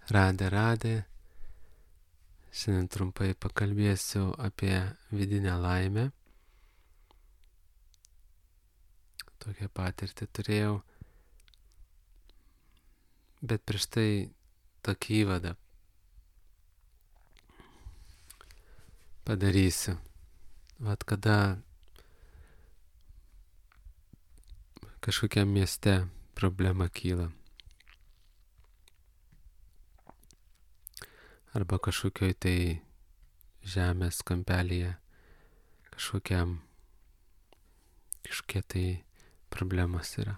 Radė. Šiandien trumpai pakalbėsiu apie vidinę laimę. Tokią patirtį turėjau. Bet prieš tai tokį įvadą padarysiu. Vat kada kažkokiam mieste problema kyla. Arba kažkokioj tai žemės kampelyje kažkokia tai problemos yra.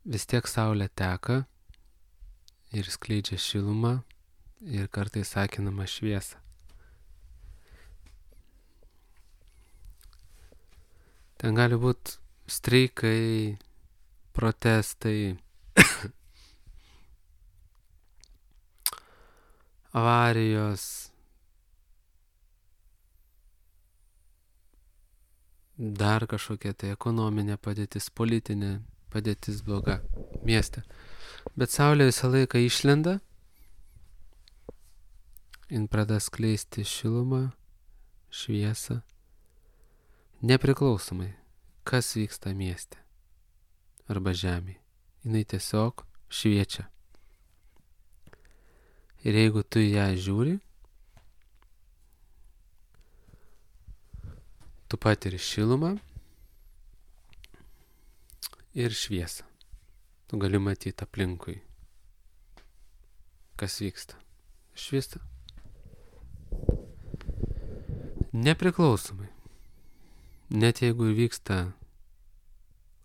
Vis tiek saulė teka ir skleidžia šilumą ir kartais akinamą šviesą. Ten gali būti streikai, protestai, avarijos, dar kažkokia tai ekonominė padėtis, politinė padėtis bloga mieste. Bet saulė visą laiką išlenda, jin pradeda skleisti šilumą, šviesą, nepriklausomai, kas vyksta mieste arba žemėje. Jinai tiesiog šviečia. Ir jeigu tu ją žiūri, tu patiri šilumą ir šviesą. Tu gali matyti aplinkui, kas vyksta. Šviesa. Nepriklausomai. Net jeigu vyksta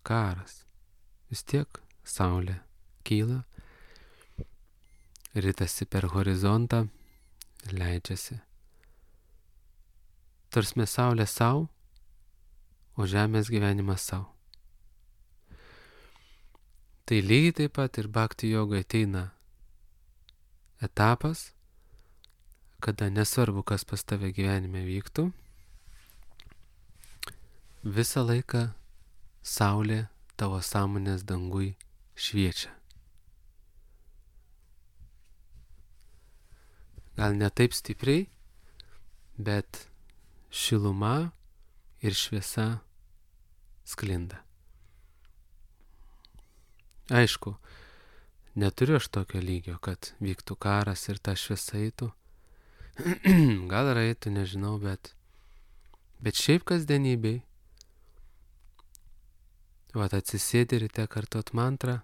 karas, vis tiek saulė kyla, ritasi per horizontą, leidžiasi. Tarsme saulė sau, o žemės gyvenimas sau. Tai lygiai taip pat ir bhakti jogai ateina etapas, kada nesvarbu, kas pas tave gyvenime vyktų, visą laiką saulė tavo sąmonės dangui šviečia. Gal ne taip stipriai, bet šiluma ir šviesa sklinda. Aišku, neturiu aš tokio lygio, kad vyktų karas ir ta šviesa eitų. Gal ir eitų, nežinau, bet šiaip kasdienybėj. Vat atsisėdi ryte kartot mantrą.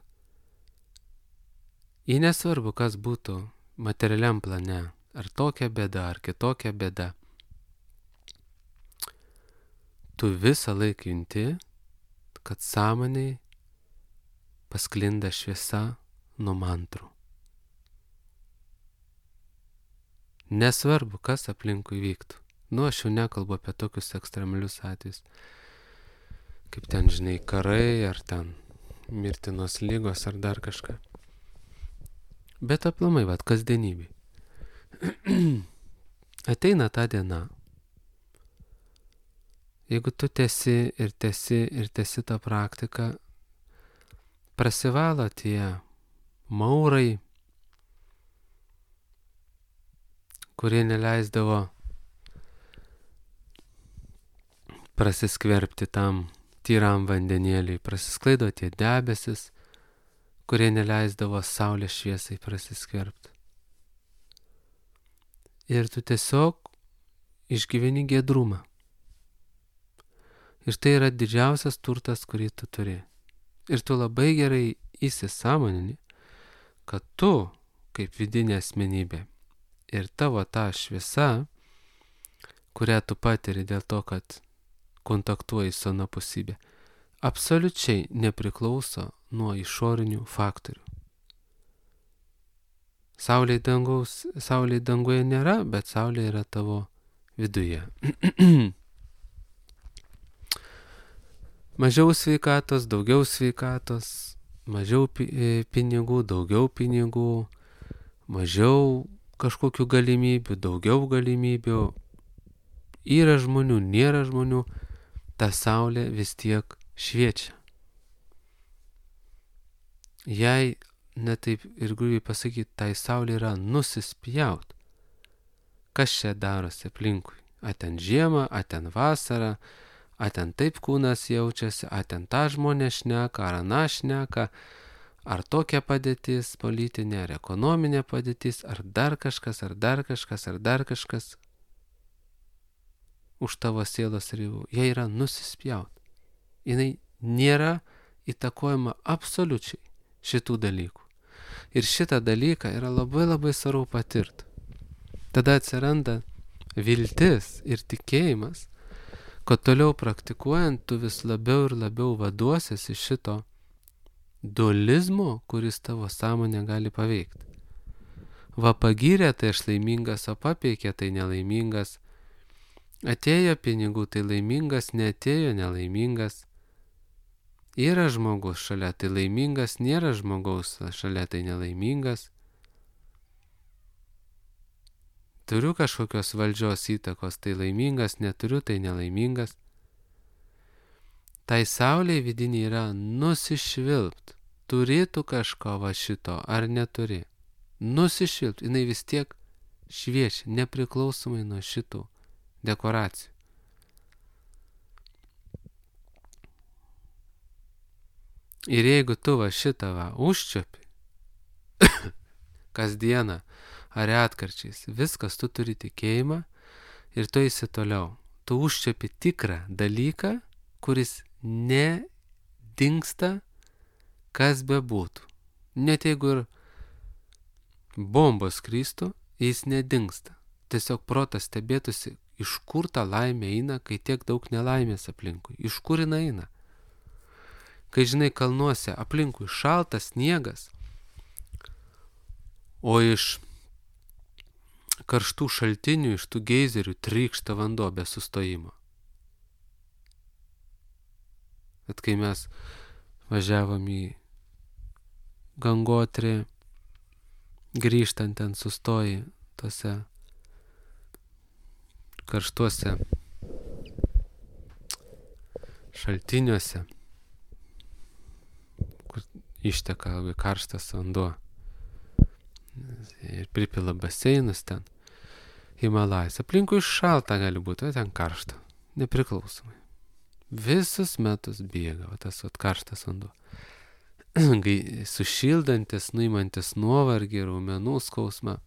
Į nesvarbu, kas būtų materialiam plane, ar tokia bėda, ar kitokia bėda. Tu visą laiką junti, kad sąmonėj pasklinda šviesa nuo mantrų. Nesvarbu, kas aplinkui vyktų. Aš jau nekalbu apie tokius ekstremalius atvejus, kaip ten, žinai, karai, ar ten mirtinos lygos, ar dar kažką. Bet aplamai, kasdienybėj. Ateina ta diena. Jeigu tu tęsi tą praktiką, prasivalo tie maurai, kurie neleisdavo prasiskverbti tam tyram vandenėliui, prasisklaido tie debesis, kurie neleisdavo saulės šviesai prasiskverbti. Ir tu tiesiog išgyveni giedrumą. Ir tai yra didžiausias turtas, kurį tu turi. Ir tu labai gerai įsisąmonini, kad tu, kaip vidinė asmenybė, ir tavo ta šviesa, kurią tu patiri dėl to, kad kontaktuoji su anapusybė, absoliučiai nepriklauso nuo išorinių faktorių. Saulė danguje nėra, bet saulė yra tavo viduje. Mažiau sveikatos, daugiau sveikatos, mažiau pinigų, daugiau pinigų, mažiau kažkokių galimybių, daugiau galimybių. Yra žmonių, nėra žmonių, ta saulė vis tiek šviečia. jai, netaip ir grubiai pasakyti, tai saulė yra nusispjaut. Kas čia darosi aplinkui? A ten žiemą, a ten vasarą, a ten taip kūnas jaučiasi, a ten tą žmonės šneka, ar aną šneka, ar tokia padėtis politinė, ar ekonominė padėtis, ar dar kažkas, ar dar kažkas, ar dar kažkas už tavo sielos ribų. Jie yra nusispjaut. Jinai nėra įtakojama absoliučiai šitų dalykų. Ir šitą dalyką yra labai labai svarbu patirti. Tada atsiranda viltis ir tikėjimas, kad toliau praktikuojant tu vis labiau ir labiau vaduosies iš šito dualizmo, kuris tavo sąmonę gali paveikti. Va pagyrė, tai aš laimingas, o papeikė, tai nelaimingas. Atėjo pinigų, tai laimingas, neatėjo, nelaimingas. Yra žmogus šalia, tai laimingas, nėra žmogaus šalia, tai nelaimingas. Turiu kažkokios valdžios įtakos, tai laimingas, neturiu, tai nelaimingas. Tai saulė vidinė yra nusišvilpt. Turėtų kažko va šito, ar neturi. Nusišvilpt, jinai vis tiek šviečia, nepriklausomai nuo šitų dekoracijų. Ir jeigu tu va šitą va užčiuopi, kasdieną ar atkarčiais, viskas, tu turi tikėjimą ir tu eisi toliau. Tu užčiuopi tikrą dalyką, kuris nedingsta, kas bebūtų. Net jeigu ir bombos kristų, jis nedingsta. Tiesiog protas stebėtųsi, iš kur ta laimė eina, kai tiek daug nelaimės aplinkui. Iš kur jinai eina? Kai žinai, kalnuose aplinkui šaltas sniegas, o iš karštų šaltinių, iš tų geizerių trykšta vanduo be sustojimo. Bet kai mes važiavom į Gangotrį, grįžtant ten sustoji tose karštuose šaltiniuose, kur išteka labai karštas vanduo ir pripila baseinus ten, Himalajus. Aplinkui šalta gali būti, o ten karšta, nepriklausomai. Visus metus bėga tas karštas vanduo. Sušildantis, nuimantis nuovargį, raumenų skausmą.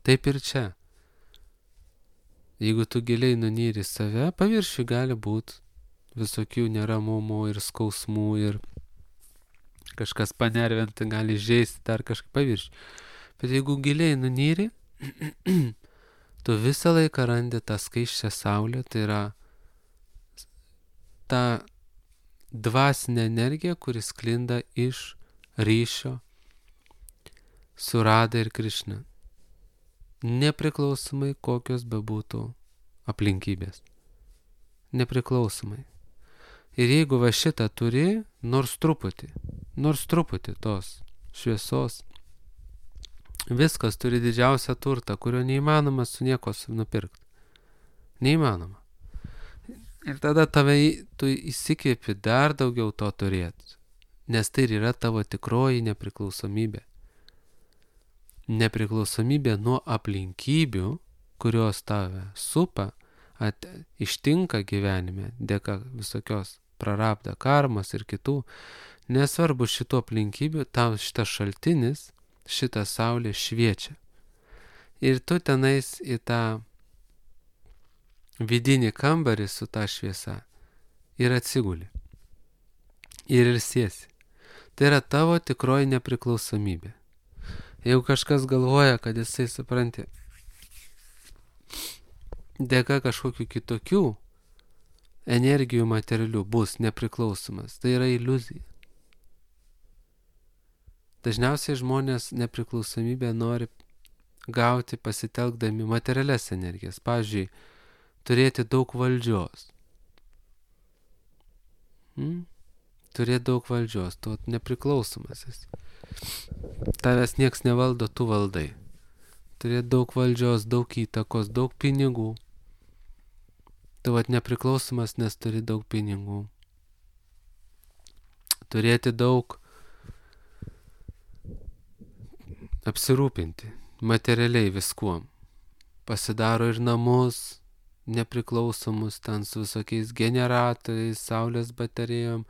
Taip ir čia. Jeigu tu giliai nunyri save, paviršiui gali būti visokių neramumų ir skausmų ir kažkas panervinti, gali žaisti dar kažkaip paviršiui. Bet jeigu giliai nunyri, tu visą laiką randi tą skaisčią saulę, tai yra ta dvasinė energija, kuris sklinda iš ryšio su Rada ir Krišna. Nepriklausomai kokios bebūtų aplinkybės. Nepriklausomai. Ir jeigu va šitą turi, nors truputį tos šviesos, viskas turi didžiausią turtą, kurio neįmanoma su nieko nupirkti. Neįmanoma. Ir tada tu įsikvėpi dar daugiau to turėti, nes tai yra tavo tikroji nepriklausomybė. Nepriklausomybė nuo aplinkybių, kurios tave supa, ištinka gyvenime, dėka visokios prarabda karmos ir kitų. Nesvarbu šitų aplinkybių, tau šitas šaltinis, šita saulė šviečia. Ir tu tenais į tą vidinį kambarį su ta šviesa ir atsiguli. Ir ilsiesi. Tai yra tavo tikroji nepriklausomybė. Jeigu kažkas galvoja, kad jisai, supranti, dėka kažkokių kitokių energijų materialių bus nepriklausomas, tai yra iliuzija. Dažniausiai žmonės nepriklausomybę nori gauti pasitelkdami materialias energijas. Pavyzdžiui, turėti daug valdžios. Turėti daug valdžios, tu nepriklausomas esi. Tavęs nieks nevaldo, tu valdai. Turėti daug valdžios, daug įtakos, daug pinigų. Tu nepriklausomas, nes turi daug pinigų. turėti daug, apsirūpinti materialiai viskuom. Pasidaro ir namus nepriklausomus ten su visokiais generatoriais, saulės baterijom,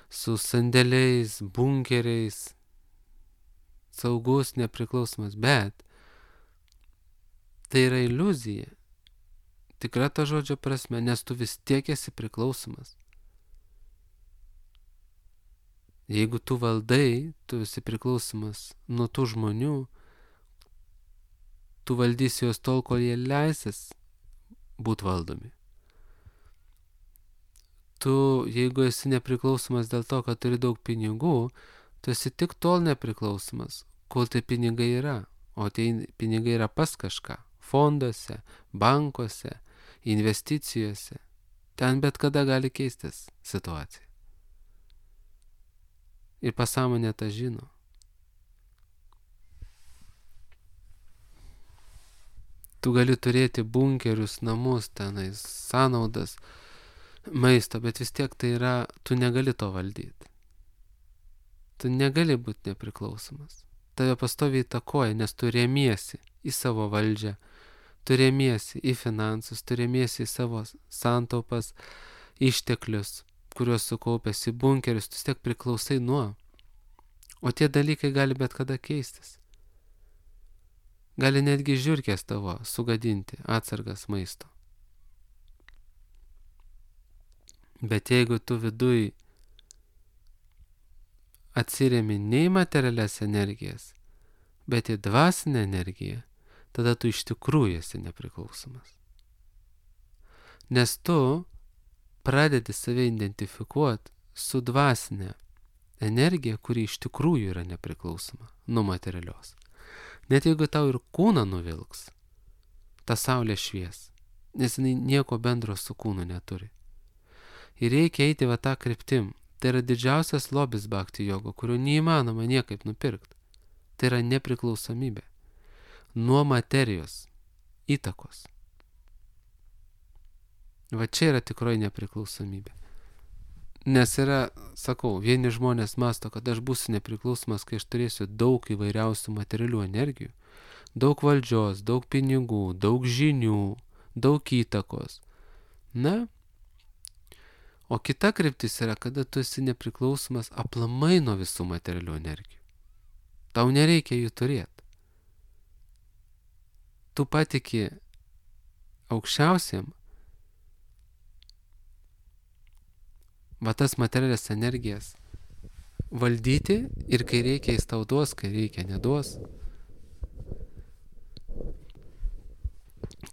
su sandėliais, bunkeriais, saugus, nepriklausomas, bet tai yra iliuzija, tikra ta žodžio prasme, nes tu vis tiek esi priklausomas. Jeigu tu valdai, tu esi priklausomas nuo tų žmonių, tu valdysi juos tol, kol jie leisis būt valdomi. Tu, jeigu esi nepriklausomas dėl to, kad turi daug pinigų, tu esi tik tol nepriklausomas, kol tie pinigai yra. O tie pinigai yra pas kažką. Fonduose, bankuose, investicijose. Ten bet kada gali keistis situacija. Ir pasąmonė tą žino. Tu gali turėti bunkerius, namus, tenais, sąnaudas, maisto, bet vis tiek tai yra, tu negali to valdyti. Tu negali būti nepriklausomas. Tave pastoviai įtakoja, nes tu remiesi į savo valdžią, tu remiesi į finansus, tu remiesi į savo santaupas, išteklius, kuriuos sukaupęs į bunkerius, tu vis tiek priklausai nuo. O tie dalykai gali bet kada keistis. Gali netgi žiurkės tavo sugadinti atsargas maisto. Bet jeigu tu viduj atsiremi ne į materialias energijas, bet į dvasinę energiją, tada tu iš tikrųjų esi nepriklausomas. Nes tu pradedi save identifikuoti su dvasinė energija, kuri iš tikrųjų yra nepriklausoma nuo materialios. Net jeigu tau ir kūną nuvilks, ta saulė švies, nes jinai nieko bendro su kūnu neturi. Ir reikia eiti va tą kryptim. Tai yra didžiausias lobis bhakti jogo, kurio neįmanoma niekaip nupirkti. Tai yra nepriklausomybė nuo materijos įtakos. Va čia yra tikroji nepriklausomybė. Nes yra, sakau, vieni žmonės mąsto, kad aš būsiu nepriklausomas, kai aš turėsiu daug įvairiausių materialių energijų, daug valdžios, daug pinigų, daug žinių, daug įtakos. Na, o kita kryptis yra, kada tu esi nepriklausomas aplamai nuo visų materialių energijų. Tau nereikia jų turėti. Tu patiki aukščiausiam, va tas materialias energijas valdyti ir kai reikia jis tau duos, kai reikia neduos.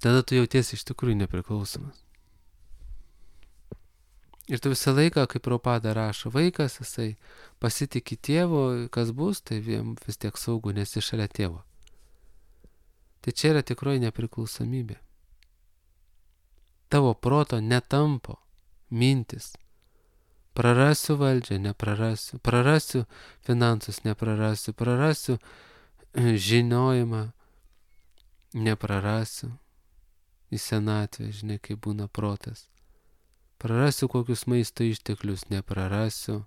Tada tu jautiesi iš tikrųjų nepriklausomas. Ir tu visą laiką, kaip Prabhupada rašo, vaikas, jisai pasitiki tėvo, kas bus, tai vis tiek saugu, nes jis šalia tėvo. Tai čia yra tikroji nepriklausomybė. Tavo proto netampo mintis. Prarasiu valdžią, neprarasiu. Prarasiu finansus, neprarasiu. Prarasiu žinojimą, neprarasiu. Į senatvę, žinai, kaip būna protas. Prarasiu kokius maisto išteklius, neprarasiu.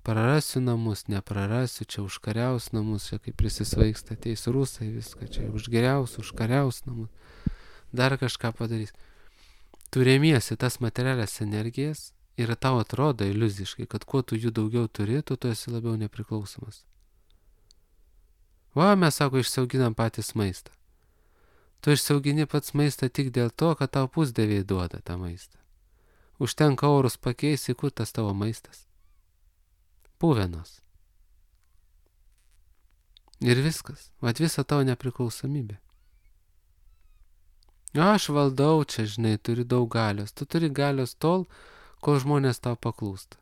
Prarasiu namus, neprarasiu, čia užkariaus namus, čia kaip prisisvaigsta, ateis rusai, viską čia užgeriaus, užkariaus namus. Dar kažką padarys. Tu remiesi tas materialias energijas ir tau atrodo iliuziškai, kad kuo tu jų daugiau turi, tu esi labiau nepriklausomas. Va, mes, sako, išsiauginam patys maistą. Tu išsiaugini pats maistą tik dėl to, kad tau pusdieviai duoda tą maistą. Užtenka orus pakeisti, kur tas tavo maistas. Puvenos. Ir viskas. Vat visa tavo nepriklausomybė. Aš valdau čia, žinai, turiu daug galios. Tu turi galios tol, kol žmonės tau paklūsta.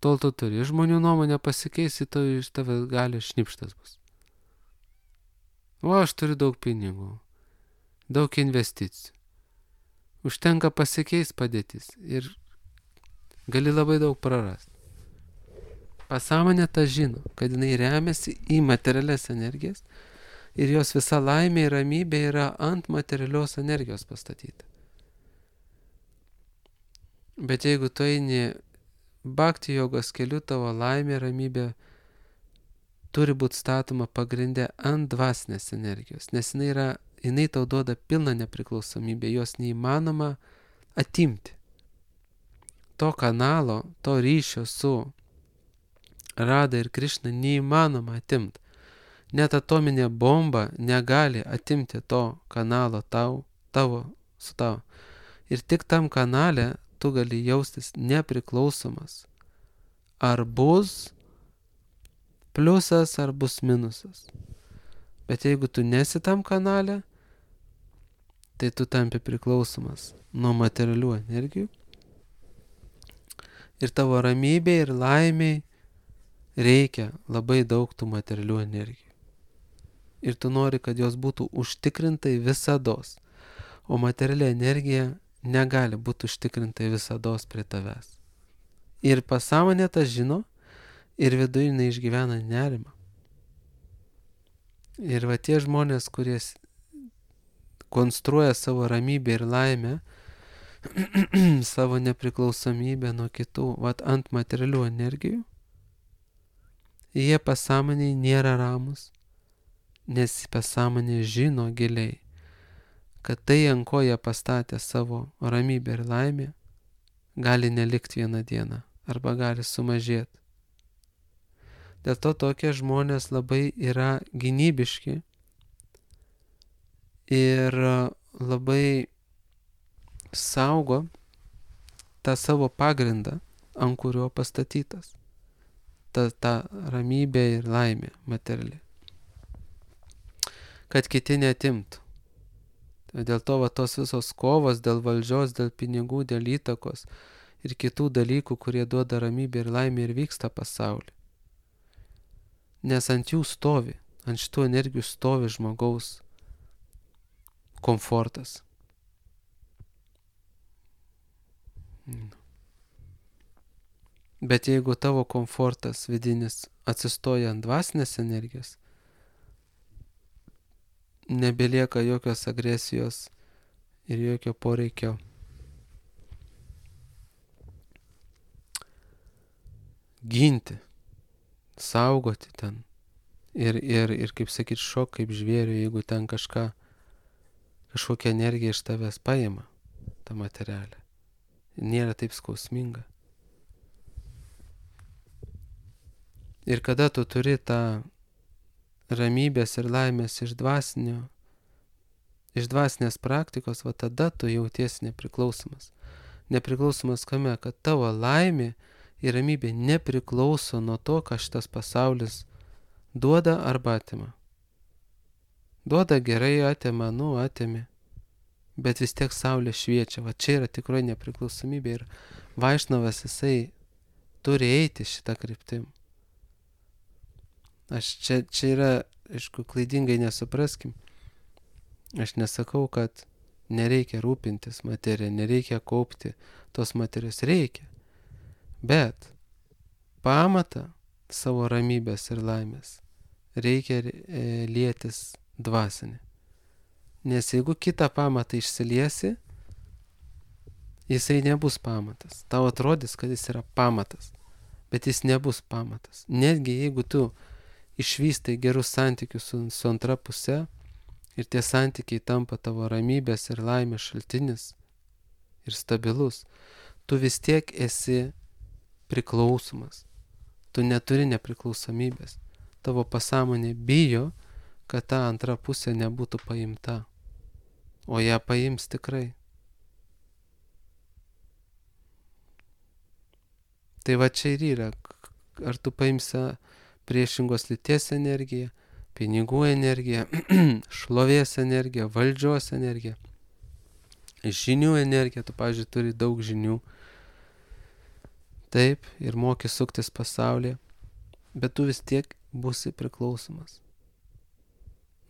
Tol tu turi. Žmonių nuomonė pasikeisi, to iš tave galios šnipštas bus. O aš turiu daug pinigų, daug investicijų. Užtenka pasikeis padėtis ir gali labai daug prarasti. Pasąmonė tą žino, kad jinai remiasi į materialias energijas ir jos visa laimė ir ramybė yra ant materialios energijos pastatyta. Bet jeigu tu eini bhakti jogos keliu, tavo laimė, ramybė turi būti statoma pagrindė ant dvasinės energijos, nes jinai tau duoda pilną nepriklausomybę, jos neįmanoma atimti. To kanalo, to ryšio su Rada ir Krišna neįmanoma atimti. Net atominė bomba negali atimti to kanalo tavo. Ir tik tam kanale tu gali jaustis nepriklausomas. Ar bus pliusas, ar bus minusas. Bet jeigu tu nesi tam kanale, tai tu tampi priklausomas nuo materialių energijų. Ir tavo ramybė ir laimiai reikia labai daug tų materialių energijų. Ir tu nori, kad jos būtų užtikrintai visados. O materiali energija negali būti užtikrintai visados prie tavęs. Ir pasąmonė tą žino, ir viduje jinai išgyvena nerimą. Ir va tie žmonės, kurie konstruoja savo ramybę ir laimę, savo nepriklausomybę nuo kitų, ant materialių energijų, jie pasąmoniai nėra ramus, nes pasąmonė žino giliai, kad tai, ant ko jie pastatė savo ramybę ir laimę, gali nelikti vieną dieną arba gali sumažėti. Dėl to tokie žmonės labai yra gynybiški ir labai saugo tą savo pagrindą, ant kurio pastatytas ta ramybė ir laimė materiali. Kad kiti netimtų. Dėl to tos visos kovos dėl valdžios, dėl pinigų, dėl įtakos ir kitų dalykų, kurie duoda ramybę ir laimę ir vyksta pasaulyje. Nes ant jų stovi, ant šitų energijų stovi žmogaus komfortas. Bet jeigu tavo komfortas vidinis atsistoja ant dvasinės energijos, nebelieka jokios agresijos ir jokio poreikio ginti, saugoti ten. Ir kaip sakyt, šok kaip žvėrių, jeigu ten kažkokia energija iš tavęs paima tą materialę. Nėra taip skausminga. Ir kada tu turi tą ramybės ir laimės iš dvasinės praktikos, tada tu jautiesi nepriklausomas. Nepriklausomas kame, kad tavo laimė ir ramybė nepriklauso nuo to, ką šitas pasaulis duoda arba atima. Duoda gerai, atima, atimi. Bet vis tiek saulė šviečia. Čia yra tikrai nepriklausomybė ir Vaišnavas jisai turi eiti šitą kryptim. Čia yra, aišku, klaidingai nesupraskim. Aš nesakau, kad nereikia rūpintis materiją, nereikia kaupti tos materijos, reikia. Bet pamatą savo ramybės ir laimės reikia lietis dvasinį. Nes jeigu kitą pamatą išsiliesi, jisai nebus pamatas. Tau atrodys, kad jis yra pamatas, bet jis nebus pamatas. Netgi jeigu tu išvystai gerus santykius su antra puse ir tie santykiai tampa tavo ramybės ir laimės šaltinis ir stabilus, tu vis tiek esi priklausomas. Tu neturi nepriklausomybės. Tavo pasąmonė bijo, kad ta antra pusė nebūtų paimta. O ją paims tikrai. Tai čia ir yra. Ar tu paimsi priešingos lyties energiją, pinigų energiją, šlovės energiją, valdžios energiją, žinių energiją. Tu, pavyzdžiui, turi daug žinių. Taip, ir moki suktis pasaulyje, bet tu vis tiek būsi priklausomas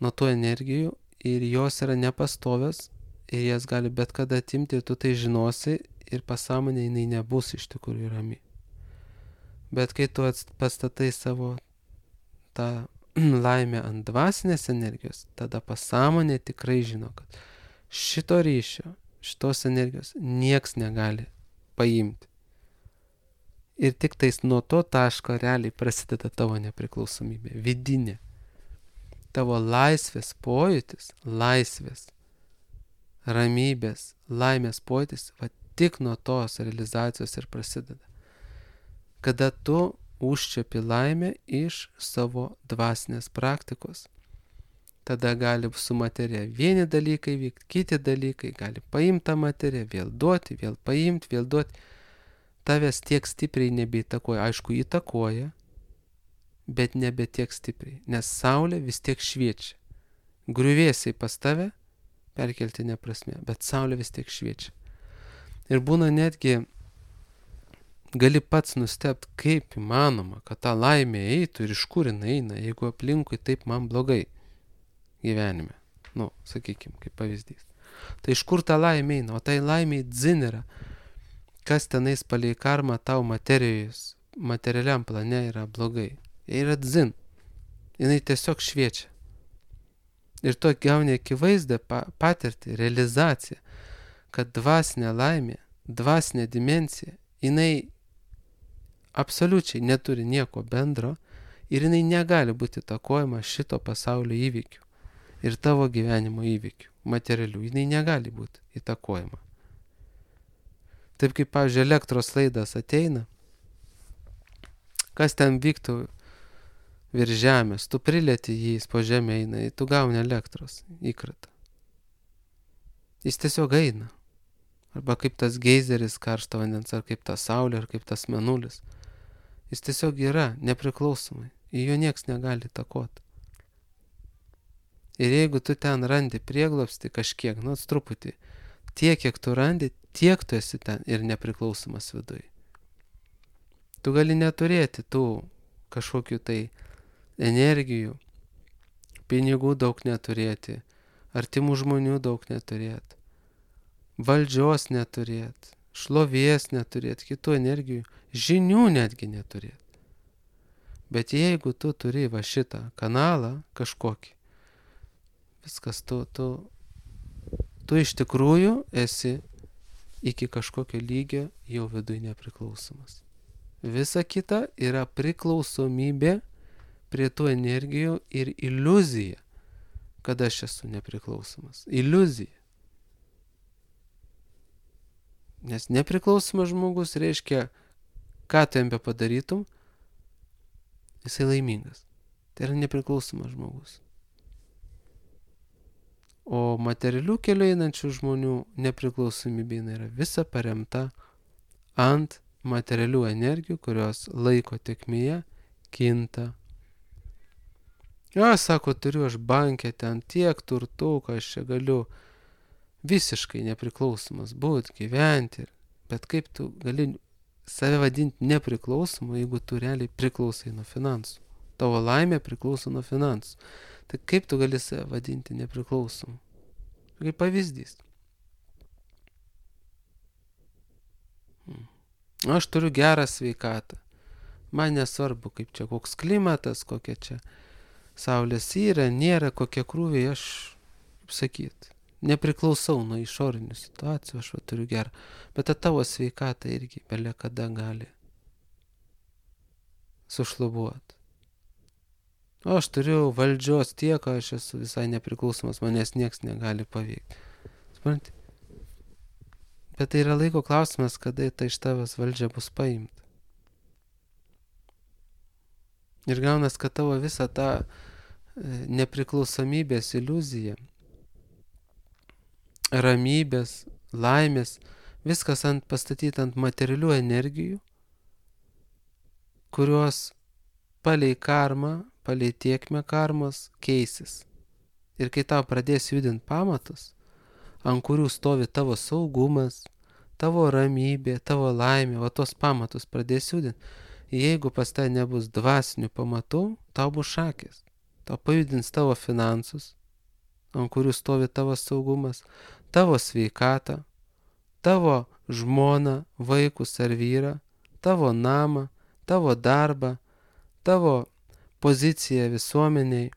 nuo tų energijų ir jos yra nepastovios ir jas gali bet kada atimti ir tu tai žinosi ir pasąmonė jinai nebus iš tikrųjų rami. Bet kai tu pastatai savo tą laimę ant dvasinės energijos, tada pasąmonė tikrai žino, kad šito ryšio, šitos energijos nieks negali paimti. Ir tik tais nuo to taško realiai prasideda tavo nepriklausomybė, vidinė. Tavo laisvės pojūtis, laisvės, ramybės, laimės pojūtis, va tik nuo tos realizacijos ir prasideda. Kada tu užčiapi laimę iš savo dvasinės praktikos. Tada gali su materija vieni dalykai vykti, kiti dalykai, gali paimti tą materiją, vėl duoti, vėl paimti, vėl duoti. Tavęs tiek stipriai nebeįtakoja, aišku, įtakoja, bet nebe tiek stipriai, nes saulė vis tiek šviečia. Griuvėsiai pas tave perkeltinė prasme, bet saulė vis tiek šviečia. Ir būna netgi, gali pats nustebt, kaip įmanoma, kad ta laimė eitų ir iš kur jinai eina, jeigu aplinkui taip man blogai gyvenime. Sakykime, kaip pavyzdys. Tai iš kur ta laimė eina? O tai laimė dzin yra. Kas tenais palei karmą tau materialiam plane yra blogai. Jie yra dzin. Jinai tiesiog šviečia. Ir tu gauni akivaizdą patirtį, realizaciją, kad dvasinė laimė, dvasinė dimensija, jinai absoliučiai neturi nieko bendro ir jinai negali būti įtakojama šito pasaulio įvykių ir tavo gyvenimo įvykių, materialių. Jinai negali būti įtakojama. Taip kaip, pavyzdžiui, elektros laidas ateina, kas ten vyktų virš žemės, tu prilieti jį, jis po žemę eina, tu gauni elektros įkratą. Jis tiesiog eina. Arba kaip tas geizeris karšto vandens, ar kaip ta saulė, ar kaip tas mėnulis. Jis tiesiog yra nepriklausomai. Į jo nieks negali įtakoti. Ir jeigu tu ten randi prieglobstį kažkiek, truputį, tiek, kiek tu randi, tiek tu esi ten ir nepriklausomas viduj. Tu gali neturėti tų kažkokių tai energijų, pinigų daug neturėti, artimų žmonių daug neturėti, valdžios neturėti, šlovės neturėti, kitų energijų, žinių netgi neturėti. Bet jeigu tu turi va šitą kanalą kažkokį, viskas, tu iš tikrųjų esi iki kažkokio lygio jau viduj nepriklausomas. Visa kita yra priklausomybė prie tų energijų ir iliuzija, kad aš esu nepriklausomas. Iliuzija. Nes nepriklausomas žmogus reiškia, ką tu jam padarytum, jisai laimingas. Tai yra nepriklausomas žmogus. O materialių kelių einančių žmonių nepriklausomybė yra visa paremta ant materialių energijų, kurios laiko tėkmėje kinta. Sako, turiu aš banke ten tiek turtų, kad aš čia galiu visiškai nepriklausomas būt, gyventi. Bet kaip tu gali save vadinti nepriklausomu, jeigu tu realiai priklausai nuo finansų? Tavo laimė priklauso nuo finansų. Tai kaip tu gali save vadinti nepriklausomu? Kaip pavyzdys. Aš turiu gerą sveikatą. Man nesvarbu, kaip čia koks klimatas, kokia čia saulės yra, nėra, kokie krūviai, aš, kaip sakyt, nepriklausau nuo išorinių situacijų, aš turiu gerą. Bet tavo sveikata irgi belia kada gali sušlubuoti. O aš turiu valdžios tiek, aš esu visai nepriklausomas, manęs nieks negali paveikti. Supranti? Bet tai yra laiko klausimas, kada tai iš tavęs valdžia bus paimta. Ir gaunas, kad tavo visa ta nepriklausomybės iliuzija, ramybės, laimės, viskas pastatyta ant materialių energijų, kurios palei karmą, palei tiekmę karmos keisis. Ir kai tau pradės judinti pamatus, ant kurių stovi tavo saugumas, tavo ramybė, tavo laimė, o tos pamatus pradės judinti, jeigu pas tai nebus dvasinių pamatų, tau bus šakės. Tau pajudins tavo finansus, ant kurių stovi tavo saugumas, tavo sveikatą, tavo žmoną, vaikus ar vyrą, tavo namą, tavo darbą, tavo poziciją visuomeniai,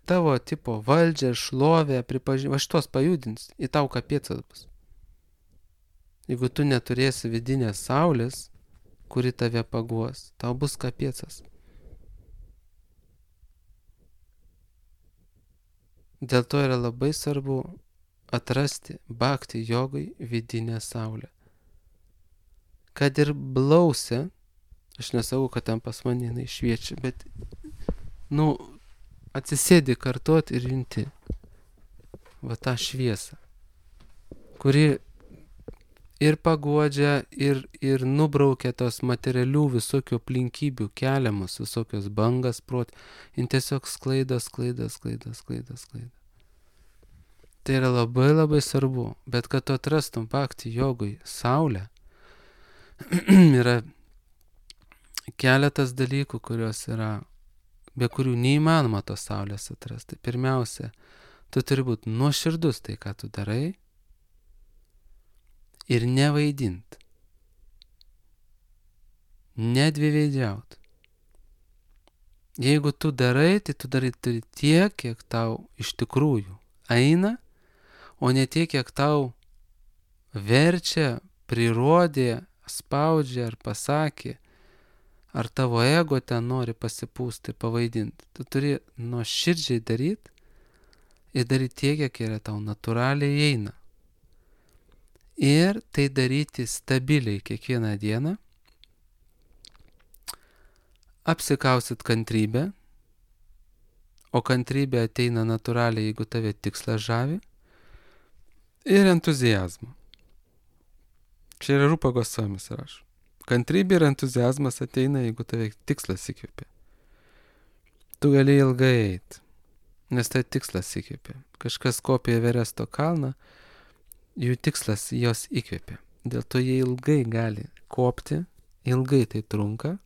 tavo tipo valdžią, šlovę, pripažinimą, šitos pajudins, į tau kapėcas bus. Jeigu tu neturėsi vidinės saulės, kuri tave paguos, tau bus kapiecas. Dėl to yra labai svarbu atrasti bhakti jogai vidinę saulę. Kad ir blausia, aš nesakau, kad ten pas mane jinai šviečia, bet, atsisėdi kartuot ir junti va tą šviesą, kuri ir paguodžia, ir nubraukia tos materialių visokių aplinkybių keliamus, visokios bangas prot, jin tiesiog sklaida. Tai yra labai labai svarbu, bet kad tu atrastum bhakti jogui saulę, yra keletas dalykų, kurios yra, be kurių neįmanoma tos saulės atrasti. Pirmiausia, tu turi būti nuoširdus tai, ką tu darai, ir nevaidint, nedviveidžiaut. Jeigu tu darai, tai tu darai tiek, kiek tau iš tikrųjų eina, o ne tiek, kiek tau verčia, prirodė, spaudžia ar pasakė, ar tavo ego ten nori pasipūsti, pavaidinti. Tu turi nuoširdžiai daryti ir daryti tiek, kiek yra tau natūraliai eina. Ir tai daryti stabiliai kiekvieną dieną, apsikausit kantrybę, o kantrybė ateina natūraliai, jeigu tave tikslas žavi, ir entuziazmą. Čia yra Rupa Gosvamis rašo. Kantrybė ir entuziazmas ateina, jeigu tave tikslas įkvėpia. Tu gali ilgai eiti, nes tai tikslas įkvėpia. Kažkas kopia Everesto kalną, jų tikslas jos įkvėpia. Dėl to jie ilgai gali kopti, ilgai tai trunka,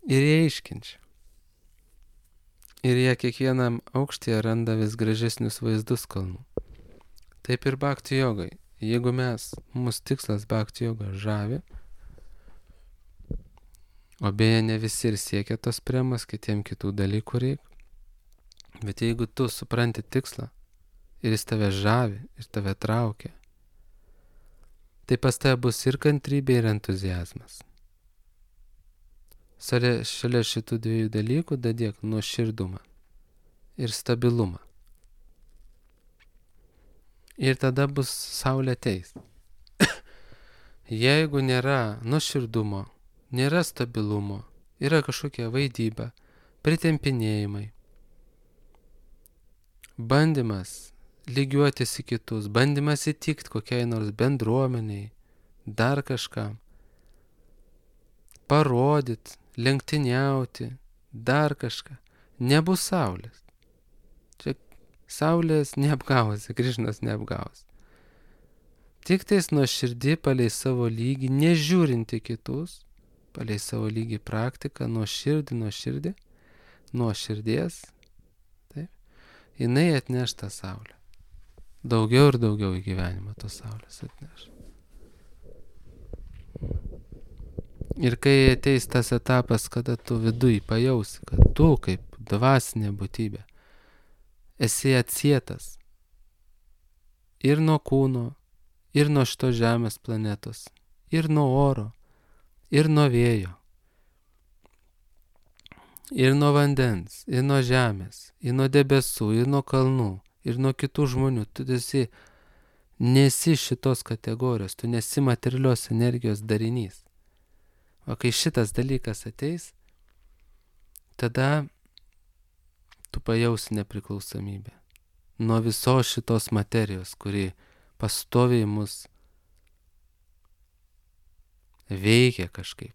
ir jie iškenčia. Ir jie kiekvienam aukštyje randa vis gražesnius vaizdus kalnų. Taip ir bhakti jogai. Jeigu mūsų tikslas bhakti joga žavi, o beje ne visi ir siekia tos priemas, kitiem kitų dalykų reikia, bet jeigu tu supranti tikslą ir jis tave žavi ir tave traukia, tai pas tave bus ir kantrybė, ir entuziazmas. Šalia šitų dviejų dalykų dadėk nuoširdumą ir stabilumą. Ir tada bus saulė ateis. Jeigu nėra nuoširdumo, nėra stabilumo, yra kažkokia vaidyba, pritempinėjimai, bandymas lygiuotis į kitus, bandymas įtikti kokiai nors bendruomeniai, dar kažkam, parodyti, lenktyniauti, dar kažką, nebus saulės. Čia saulės neapgausi, Krišnos neapgausi. Tik tais nuoširdį palei savo lygį, nežiūrinti kitus, palei savo lygį praktiką, nuoširdies, taip, jinai atneš tą saulę. Daugiau ir daugiau į gyvenimą tos saulės atneš. Ir kai ateis tas etapas, kada tu viduj pajausi, kad tu kaip dvasinė būtybė esi atsietas ir nuo kūno, ir nuo šito žemės planetos, ir nuo oro, ir nuo vėjo, ir nuo vandens, ir nuo žemės, ir nuo debesų, ir nuo kalnų, ir nuo kitų žmonių. Tu nesi šitos kategorijos, tu nesi materialios energijos darinys. O kai šitas dalykas ateis, tada tu pajausi nepriklausomybę nuo visos šitos materijos, kuri pastoviai mus veikia kažkaip.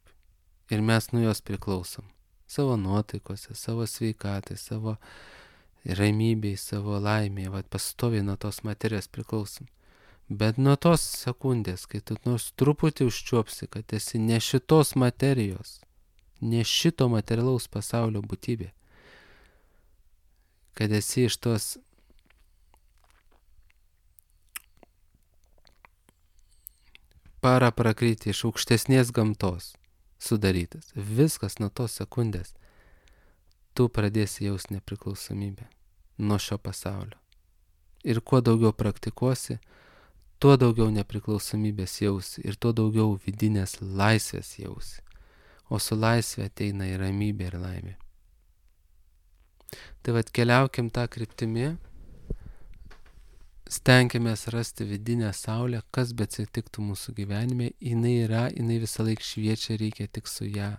Ir mes nuo jos priklausom. Savo nuotaikose, savo sveikatai, savo ramybei, savo laimėje. Pastoviai nuo tos materijos priklausom. Bet nuo tos sekundės, kai tu nors truputį užčiuopsi, kad esi ne šitos materijos, ne šito materialaus pasaulio būtybė, kad esi iš tos paraprakryti, iš aukštesnės gamtos sudarytas. Viskas nuo tos sekundės tu pradėsi jausti nepriklausomybę nuo šio pasaulio. Ir kuo daugiau praktikuosi, tuo daugiau nepriklausomybės jausi ir tuo daugiau vidinės laisvės jausi. O su laisvė ateina ir ramybė ir laimė. Tai vat keliaukim tą kryptimį, stenkimės rasti vidinę saulę, kas bet atsitiktų mūsų gyvenime, jinai visą laiką šviečia, reikia tik su ją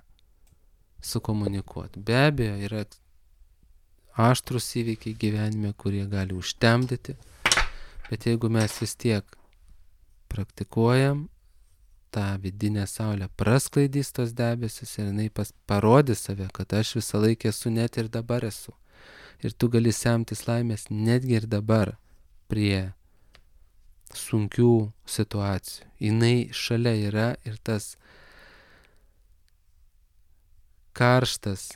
sukomunikuoti. Be abejo, yra aštrus įvykiai gyvenime, kurie gali užtemdyti, bet jeigu mes vis tiek praktikuojam, tą vidinę saulę prasklaidys tos debesis ir jinai parodys save, kad aš visą laiką esu, net ir dabar esu. Ir tu gali semtis laimės netgi ir dabar prie sunkių situacijų. Jinai šalia yra ir tas karštas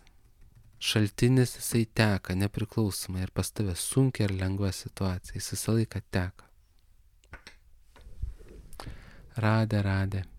šaltinis, jisai teka nepriklausomai ir pas tave sunkia ar lengva situacija, jis visą laiką teka. Radė.